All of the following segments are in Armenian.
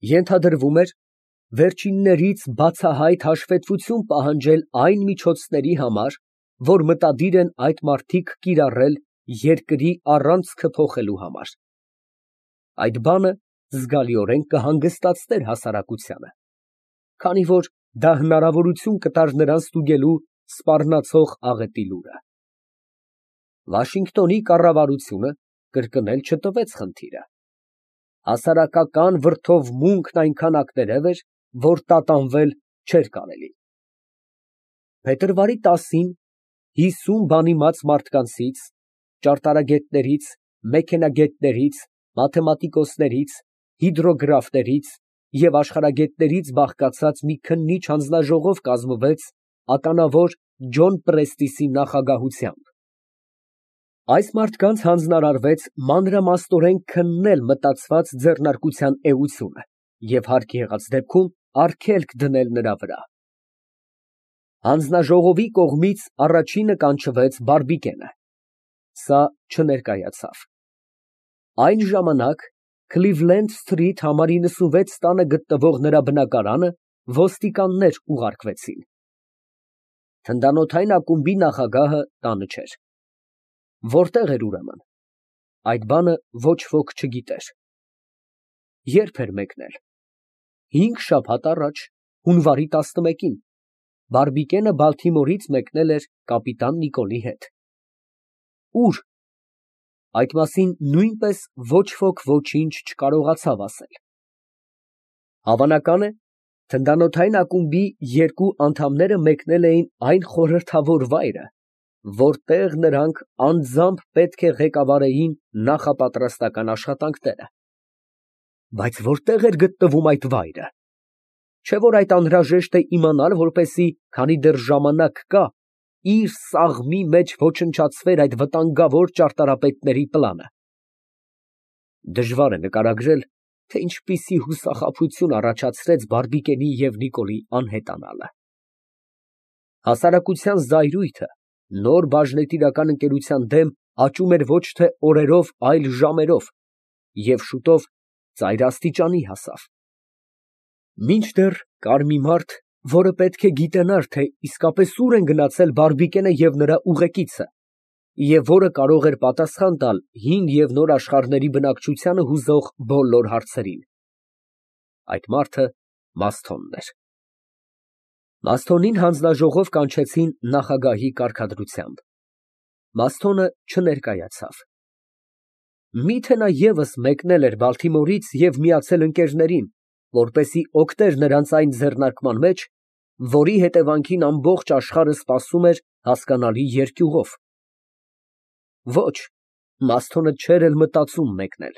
Ենթադրվում էր վերջիններից բացահայտ հաշվետվություն պահանջել այն միջոցների համար, որ մտադիր են այդ մարդիկ կիրառել երկրի առանցքը փոխելու համար։ Այդ բանը զգալիորեն կհանգստացներ հասարակությանը, քանի որ դա հնարավորություն կտար նրան ստուգելու սպառնացող աղետի լուրը։ Վաշինգտոնի կառավարությունը կրկնել չտվեց խնդիրը։ Հասարակական վրդովմունքն այնքան ակտերև էր, որ տատանվել չէր կարելի։ Փետրվարի 10-ին 50 բանիմաց մարդկանցից, ճարտարագետներից, մեքենագետներից, մաթեմատիկոսներից, հիդրոգրաֆներից և աշխարհագետներից բաղկացած մի քննիչ հանձնաժողով կազմվեց ականավոր Ջոն Պրեստիսի նախագահությամբ։ Այս մարդկանց հանձնարարվեց մանրամասնորեն քննել մտածված ձեռնարկության էությունը և հարկ եղած դեպքում արգելք դնել նրա վրա։ Հանձնաժողովի կողմից առաջինը կանչվեց Բարբիկենը։ Սա չներկայացավ։ Այն ժամանակ Քլիվլենդ Սթրիթ համարի 96 տանը գտնվող նրա բնակարանը ոստիկաններ ուղարկվեցին։ Թնդանոթային ակումբի նախագահը տանը չէր։ Որտե՞ղ էր ուրեմն։ Այդ բանը ոչ ոք չգիտեր։ Ե՞րբ էր մեկնել։ 5 շաբաթ առաջ, հունվարի 11-ին, Բարբիկենը Բալթիմորից մեկնել էր կապիտան Նիկոլի հետ։ Ո՞ւր։ Այդ մասին նույնպես ոչ ոք ոչինչ չկարողացավ ասել։ Հավանական է, թնդանոթային ակումբի 2 անդամները մեկնել էին այն խորհրդավոր վայրը, որտեղ նրանք անձամբ պետք է ղեկավարեին նախապատրաստական աշխատանքները։ Բայց որտե՞ղ էր գտնվում այդ վայրը։ Չէ՞ որ այդ անհրաժեշտ է իմանալ, որպեսզի, քանի դեռ ժամանակ կա, իր սաղմի մեջ ոչնչացվեր այդ վտանգավոր ճարտարապետների պլանը։ Դժվար է նկարագրել, թե ինչպիսի հուսախաբություն առաջացրեց Բարբիկենի և Նիկոլի անհետանալը։ Հասարակության զայրույթը նոր բաժնետիրական ընկերության դեմ աճում էր ոչ թե օրերով, այլ ժամերով և շուտով ծայրաստիճանի հասավ։ Մինչդեռ կար մի մարդ, որը պետք է գիտենար, թե իսկապես ուր են գնացել Բարբիկենը և նրա ուղեկիցը, և որը կարող էր պատասխան տալ հին և նոր աշխարհների բնակչությանը հուզող բոլոր հարցերին։ Այդ մարդը Մասթոնն էր։ Մասթոնին հանձնաժողով կանչեցին նախագահի կարգադրությամբ։ Մասթոնը չներկայացավ։ Միթե նա ևս մեկնել էր Բալթիմորից և միացել ընկերներին, որպեսզի օգներ նրանց այն ձեռնարկման մեջ, որի հետևանքին ամբողջ աշխարհը սպասում էր հասկանալի երկյուղով։ Ոչ, Մասթոնը չէր էլ մտածում մեկնել։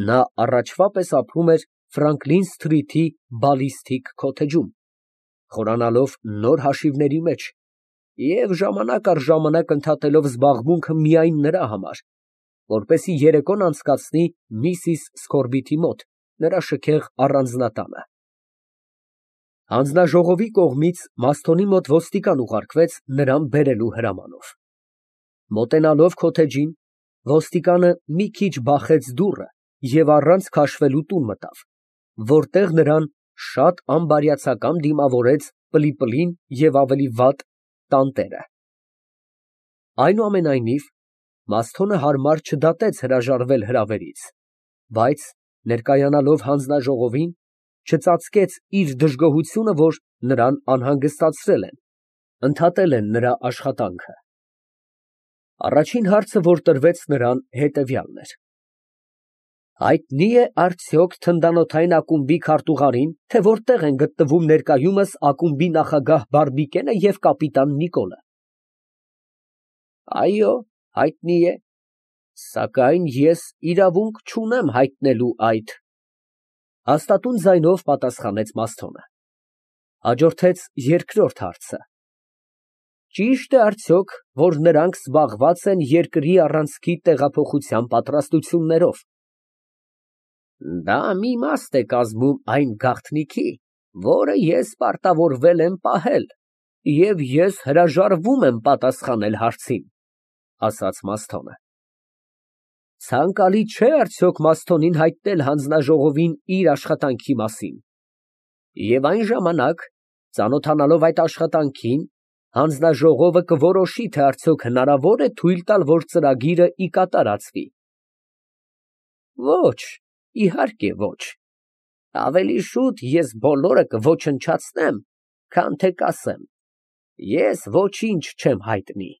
Նա առաջվա պես ապրում էր Ֆրանկլին Սթրիթի բալիստիկ քոթեջում, խորանալով նոր հաշիվների մեջ և ժամանակ առ ժամանակ ընդհատելով զբաղմունքը միայն նրա համար, որպեսզի երեկոն անցկացնի միսիս Սքորբիթի մոտ, նրա շքեղ առանձնատանը։ Հանձնաժողովի կողմից Մասթոնի մոտ ոստիկան ուղարկվեց նրան բերելու հրամանով։ Մոտենալով քոթեջին, ոստիկանը մի քիչ բախեց դուռը և առանց քաշվելու տուն մտավ, որտեղ նրան շատ անբարյացակամ դիմավորեց Պլիպլին և ավելի վատ տանտերը։ Այնուամենայնիվ, Մասթոնը հարմար չդատեց հրաժարվել հրավերից, բայց, ներկայանալով հանձնաժողովին, չծածկեց իր դժգոհությունը, որ նրան անհանգստացրել են, ընդհատել են նրա աշխատանքը։ Առաջին հարցը, որ տրվեց նրան, հետևյալն էր. հայտնի է արդյոք թնդանոթային ակումբի քարտուղարին, թե որտեղ են գտնվում ներկայումս ակումբի նախագահ Բարբիկենը և կապիտան Նիկոլը։ Այո, հայտնի է, սակայն ես իրավունք չունեմ հայտնելու այդ, հաստատուն ձայնով պատասխանեց Մասթոնը։ Հաջորդեց երկրորդ հարցը. ճի՞շտ է արդյոք, որ նրանք զբաղված են երկրի առանցքի տեղափոխության պատրաստություններով։ Դա մի իմաստ է կազմում այն գաղտնիքի, որը ես պարտավորվել եմ պահել, և ես հրաժարվում եմ պատասխանել հարցին, ասաց Մասթոնը։ Ցանկալի չէ արդյոք Մասթոնին հայտնել հանձնաժողովին իր աշխատանքի մասին։ Եվ այն ժամանակ, ծանոթանալով այդ աշխատանքին, հանձնաժողովը կորոշի, թե արդյոք հնարավոր է թույլ տալ, որ ծրագիրը ի կատար ածվի։ Ոչ, իհարկե ոչ։ Ավելի շուտ ես բոլորը կոչնչացնեմ, քան թե կասեմ. ես ոչինչ չեմ հայտնի։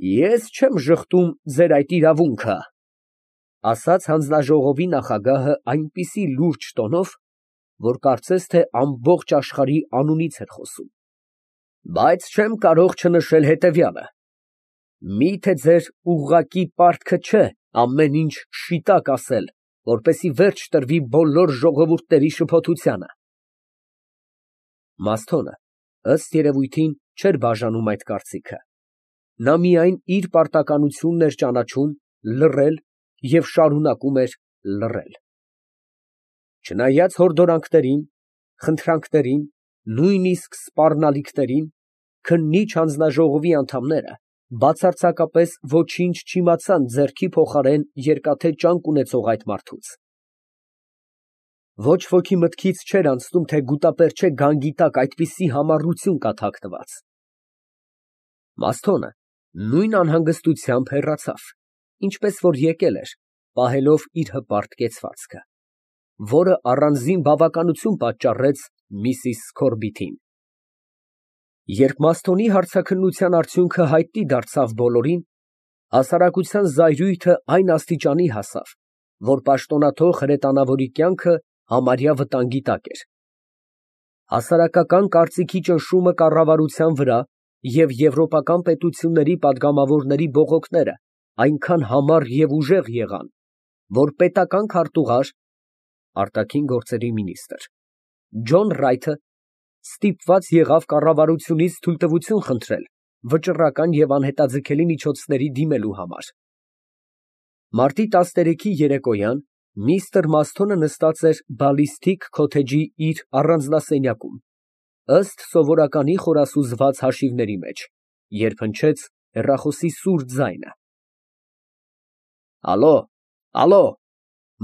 Ես չեմ ժխտում ձեր այդ իրավունքը, ասաց հանձնաժողովի նախագահը այնպիսի լուրջ տոնով, որ կարծես թե ամբողջ աշխարհի անունից էր խոսում, բայց չեմ կարող չնշել հետևյալը. միթե ձեր ուղղակի պարտքը չէ ամեն ինչ շիտակ ասել, որպեսզի վերջ տրվի բոլոր ժողովուրդների շփոթությանը։ Մասթոնը, ըստ երևույթին, չէր բաժանում այդ կարծիքը. նա միայն իր պարտականությունն էր ճանաչում լռել և շարունակում էր լռել։ Չնայած հորդորանքներին, խնդրանքներին, նույնիսկ սպառնալիքներին, քննիչ հանձնաժողովի անդամները բացարձակապես ոչինչ չիմացան ձեռքի փոխարեն երկաթե ճանկ ունեցող այդ մարդուց։ Ոչ ոքի մտքից չէր անցնում, թե գուտապերճե գանգի տակ այդպիսի համառություն կա թաքնված։ Մասթոնը նույն անհանգստությամբ հեռացավ, ինչպես որ եկել էր, պահելով իր հպարտ կեցվածքը, որը առանձին բավականություն պատճառեց միսիս Սքորբիթին։ Երբ Մասթոնի հարցաքննության արդյունքը հայտնի դարձավ բոլորին, հասարակության զայրույթը այն աստիճանի հասավ, որ պաշտոնաթող հրետանավորի կյանքը համարյա վտանգի տակ էր։ Հասարակական կարծիքի ճնշումը կառավարության վրա և եվրոպական պետությունների պատգամավորների բողոքները այնքան համառ և ուժեղ եղան, որ պետական քարտուղար (արտաքին գործերի մինիստրը) Ջոն Ռայթը ստիպված եղավ կառավարությունից թույլտվություն խնդրել վճռական և անհետաձգելի միջոցների դիմելու համար։ Մարտի 13-ի երեկոյան միստր Մասթոնը նստած էր բալիստիկ քոթեջի իր առանձնասենյակում, ըստ սովորականի խորասուզված հաշիվների մեջ, երբ հնչեց հեռախոսի սուր ձայնը։ «Ալո, ալո»,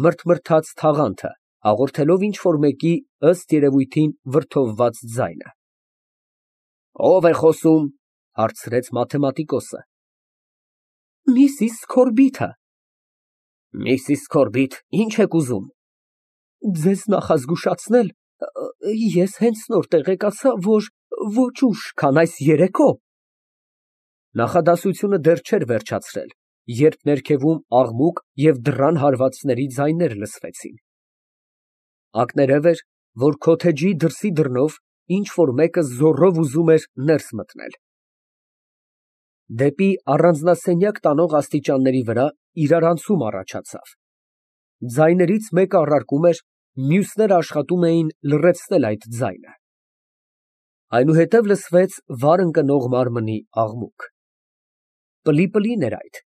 մրթմրթաց թաղանթը, հաղորդելով ինչ֊որ մեկի, ըստ երևույթին, վրդովված ձայնը։ «Ո՞վ է խոսում», հարցրեց մաթեմատիկոսը։ «Միսիս Սքորբիթը»։ «Միսիս Սքորբիթ, ի՞նչ եք ուզում»։ «Ձեզ նախազգուշացնել, ես հենց նոր տեղեկացա, որ ոչ ուշ, քան այս երեկո…» Նախադասությունը դեռ չէր վերջացրել, երբ ներքևում աղմուկ և դռան հարվածների ձայներ լսվեցին։ Ակներև էր, որ քոթեջի դրսի դռնով ինչ֊որ մեկը զոռով ուզում էր ներս մտնել։ Դեպի առանձնասենյակ տանող աստիճանների վրա իրարանցում առաջացավ։ Ձայներից մեկը առարկում էր, մյուսները աշխատում էին լռեցնել այդ ձայնը։ Այնուհետև լսվեց վար ընկնող մարմնի աղմուկ։ Պլի֊պլին էր այդ,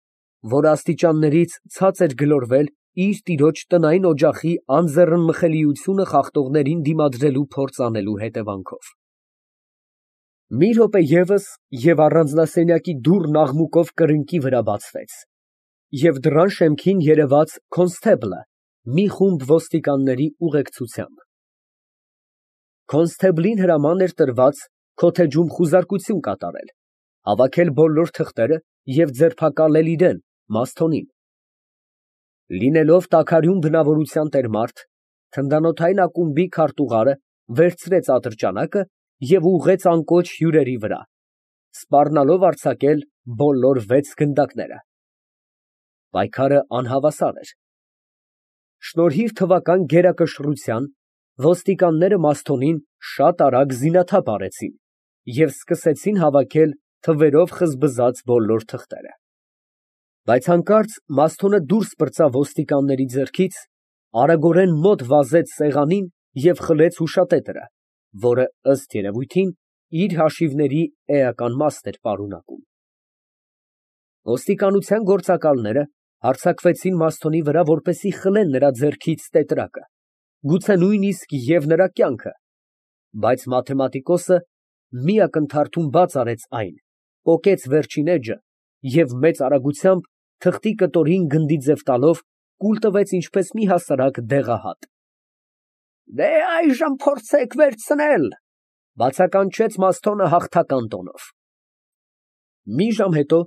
որ աստիճաններից ցած էր գլորվել իր տիրոջ տնային օջախի անձեռնմխելիությունը խախտողներին դիմադրելու փորձ անելու հետևանքով։ Մի րոպե ևս, և առանձնասենյակի դուռն աղմուկով կրկնակի վրա բացվեց, և դռան շեմքին երևաց քոնստեբլը մի խումբ ոստիկանների ուղեկցությամբ։ Քոնստեբլին հրաման էր տրված քոթեջում խուզարկություն կատարել, հավաքել բոլոր թղթերը և ձերբակալել իրան, Մասթոնին։ Լինելով տաքարյուն բնավորության տեր մարդ, թնդանոթային ակումբի քարտուղարը վերցրեց ատրճանակը և ուղղեց անկոչ հյուրերի վրա, սպառնալով արձակել բոլոր 6 գնդակները։ Պայքարը անհավասար էր։ Շնորհիվ թվական գերակշռության, ոստիկանները Մասթոնին շատ արագ զինաթափ արեցին և սկսեցին հավաքել թվերով խզբզած բոլոր թղթերը։ Բայց հանկարծ Մասթոնը դուրս պրծավ ոստիկանների ձեռքից, արագորեն մոտ վազեց սեղանին և խլեց հուշատետրը, որը, ըստ երևույթին, իր հաշիվների էական մասն էր պարունակում։ Ոստիկանության գործակալները հարձակվեցին Մասթոնի վրա, որպեսզի խլեն նրա ձեռքից տետրակը, գուցե նույնիսկ և նրա կյանքը, բայց մաթեմատիկոսը մի ակնթարթում բաց արեց այն, պոկեց վերջին էջը և մեծ արագությամբ թղթի կտորին գնդի ձև տալով, կուլ տվեց ինչպես մի հասարակ դեղահատ։ Դե այժմ փորձեք վերցնել, բացականչեց Մըստոն հաղթական տոնով։ Մի ժամ հետո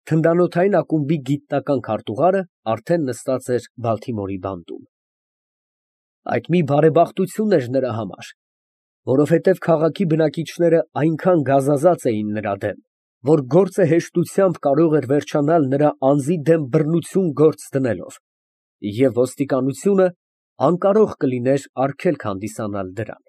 թնդանոթային ակումբի գիտնական քարտուղարը արդեն նստած էր Բալթիմորի բանտում։ Այդ մի բարեբախտություն էր նրա համար, որովհետև քաղաքի բնակիչները այնքան գազազած էին նրա դեմ, որ գործը հեշտությամբ կարող էր վերջանալ նրա անձի դեմ բռնություն գործ դնելով, և ոստիկանությունը անկարող կլիներ արգելք հանդիսանալ դրան։